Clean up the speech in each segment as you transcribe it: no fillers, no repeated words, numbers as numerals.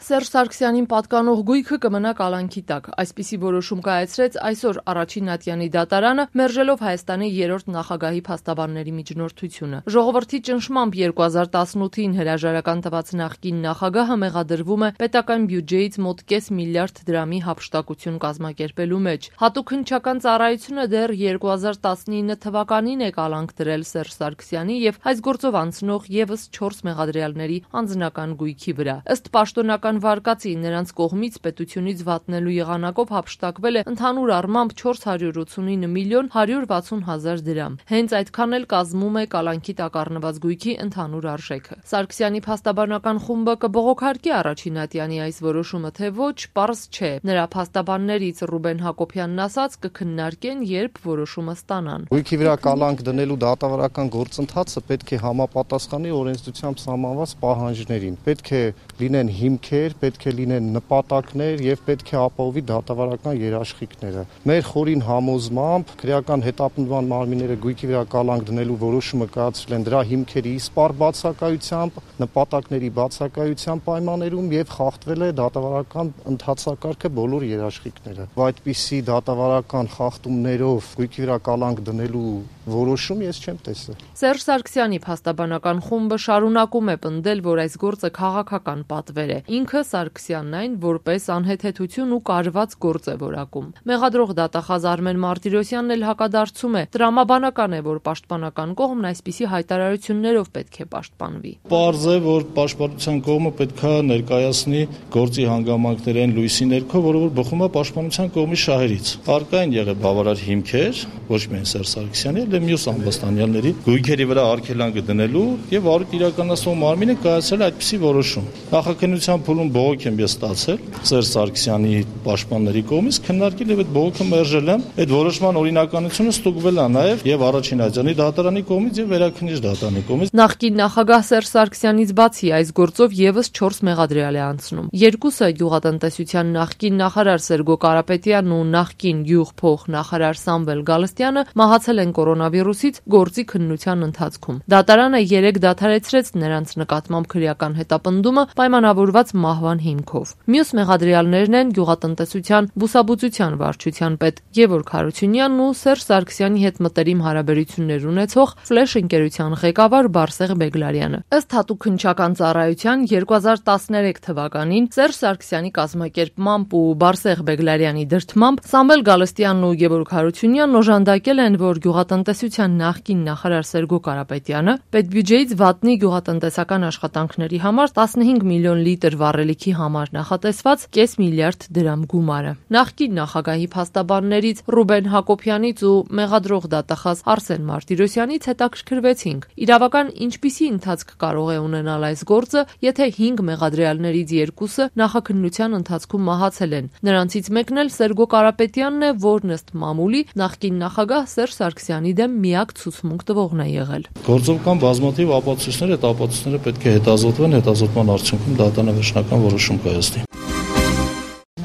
Սերժ Սարգսյանին պատկանող գույքը կմնա կալանքի տակ։ Այսպիսի որոշում կայացրեց այսօր Առաջին ատյանի դատարանը, մերժելով Հայաստանի 3-րդ նախագահի փաստաբանների միջնորդությունը։ Ժողովրդի ճնշմամբ 2018-ին հրաժարական տված նախկին նախագահը մեղադրվում է պետական բյուջեից մոտ կես միլիարդ դրամի հափշտակություն կազմակերպելու մեջ։ Հատուկ հնչական ծառայությունը դեռ 2019 թվականին է կալանք դրել Սերժ Սարգսյանի եւ այս գործով անցնող եւս 4 մեղադրյալների անձնական գույքի վրա։ Ըստ պաշտոնական վարկածի նրանց կողմից պետությունից վատնելու եղանակով հափշտակվել է ընդհանուր առմամբ 489 միլիոն 160 հազար դրամ։ Հենց այդքան էլ կազմում է կալանքի տակ առնված գույքի ընդհանուր արժեքը։ Սարգսյանի փաստաբանական խումբը կբողոքարկի Առաջին ատյանի այս որոշումը, թե ոչ, պարզ չէ։ Նրա փաստաբաններից Ռուբեն Հակոբյանն ասաց կքննարկեն, երբ որոշումը ստանան։ Գույքի վրա կալանք դնելու դատավարական գործընթացը պետք է համապատասխանի օրենսդրությամբ սահմանված պահանջներին։ Պետք է լինեն հիմքեր, պետք է լինեն նպատակներ եւ պետք է ապահովի դատավարական երաշխիքները։ Մեր խորին համոզմամբ քրեական հետապնդման մարմինները գույքի վրա կալանք դնելու որոշումը կայացրել են դրա հիմքերի իսպառ բացակայությամբ, նպատակների բացակայության պայմաններում եւ խախտվել է դատավարական ընթացակարգը բոլոր երաշխիքները։ Այդպիսի դատավարական խախտումներով գույքի վրա կալանք դնելու որոշում ես չեմ տեսել։ Սերժ Սարգսյանի փաստաբանական խումբը շարունակում է պնդել, որ այս գործը քաղաքական պատվեր է։ Ինքը Սարգսյանն այն որպես անհեթեթություն ու կարված գործ է որակում։ Մեղադրող դատախազ Արմեն Մարտիրոսյանն էլ հակադարձում է։ Տրամաբանական է, որ պաշտպանական կողմն այսպիսի հայտարարություններով պետք է պաշտպանվի։ Պարզ է, որ պաշտպանության կողմը պետք է ներկայացնի գործի հանգամանքներն լույսի ներքո, որը որ բխում է պաշտպանության կողմի շահերից։ Առկա են եղել բավարար հիմքեր, ոչ միայն Սերժ Սարգսյանի, այլ մյուս ամբաստանյալների գույքերի վրա արգելանք դնելու եւ առիթ իրականացնող մարմինը կայացրել այդպիսի որոշում։ Նախաքննության փուլում բողոք եմ ես ստացել Սերժ Սարգսյանի պաշտպանների կողմից, քննարկել եւ այդ բողոքը մերժել եմ։ Այդ որոշման օրինականությունը ստուգվել է նաեւ եւ Առաջին ատյանի դատարանի կողմից եւ Վերաքննիչ դատարանի կողմից։ Նախկին նախագահ Սերժ Սարգսյանից բացի այս գործով եւս 4 մեղադրյալ է անցնում։ Երկուսը գյուղատնտեսության նախկին նախարար Սերգո Կարապետյանն ու նախկին գյուղփոխ նախարար Սամվել Գալստյանը մահացել են կորոնավիրուսից գործի քննության ընթացքում։ Դատարանը 3 դադարեցրեց նրանց նկատմամբ քրեական հետապնդումը պայմանավորված մահվան հիմքով։ Մյուս մեղադրյալներն են գյուղատնտեսության բուսաբուծության վարչության պետ Գևորգ Հարությունյանն ու Սերժ Սարգսյանի հետ մտերիմ հարաբերություններ ունեցող Ֆլեշ ընկերության ղեկավար Բարսեղ Բեգլարյանը։ Ըստ հատուկ հնչական ծառայության 2013 թվականին Սերժ Սարգսյանի կազմակերպմամբ ու Բարսեղ Բեգլարյանի դրդմամբ Սամվել Գալստյանն ու Գևորգ Հարությունյանն օժանդակել են, որ գյուղատնտեսության նախկին նախարար Սերգո Կարապետյանը պետբյուջեից վատնի գյուղատնտեսական աշխատանքների համար 15 միլիոն լիտր վառելիքի համար նախատեսված կես միլիարդ դրամ գումարը։ Նախկին նախագահի փաստաբաններից Ռուբեն Հակոբյանից ու մեղադրող դատախազ Արսեն Մարտիրոսյանից հետաքրքրվեցինք։ Իրավական ինչպիսի ընթացք կարող է ունենալ այս գործը, եթե 5 մեղադրյալներից 2-ը նախաքննության ընթացքում մահացել են։ Նրանցից մեկն էլ Սերգո Կարապետյանն է, որն ըստ մամուլի նախկին նախագահ Սերժ Սարգսյանի դեմ միակ ցուցմունք տվողն է եղել։ Գործով կան բազմաթիվ ապացույցներ, այդ ապացույցները պետք է հետազոտվեն, հետազոտման արդյունքում դատարանը վերջնական որոշում կայացնի։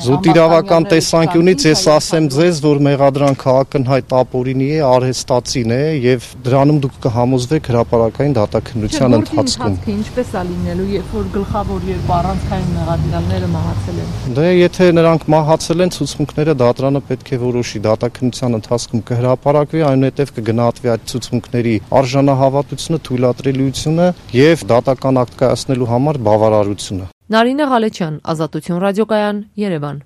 Զուտ իրավական տեսանկյունից ես ասեմ ձեզ, որ մեղադրանքը ակնհայտ ապօրինի է, արհեստացին է եւ դրանում դուք կհամոզվեք հրապարակային դատաքննության ընթացքում։ Ինչպես է լինելու, երբ որ գլխավոր երբ առանցքային մեղադրյալները մահացել են։ Դե եթե նրանք մահացել են, ցուցմունքները դատարանը պետք է որոշի, դատաքննության ընթացքում կհրապարակվի, այնուհետև կգնահատվի այդ ցուցմունքների արժանահավատությունը, թույլատրելիությունը եւ դատական ակտ կայացնելու համար բավարարությունը։ Նարինե Ղալեչյան, Ազատություն ռադիոկայան, Երևան։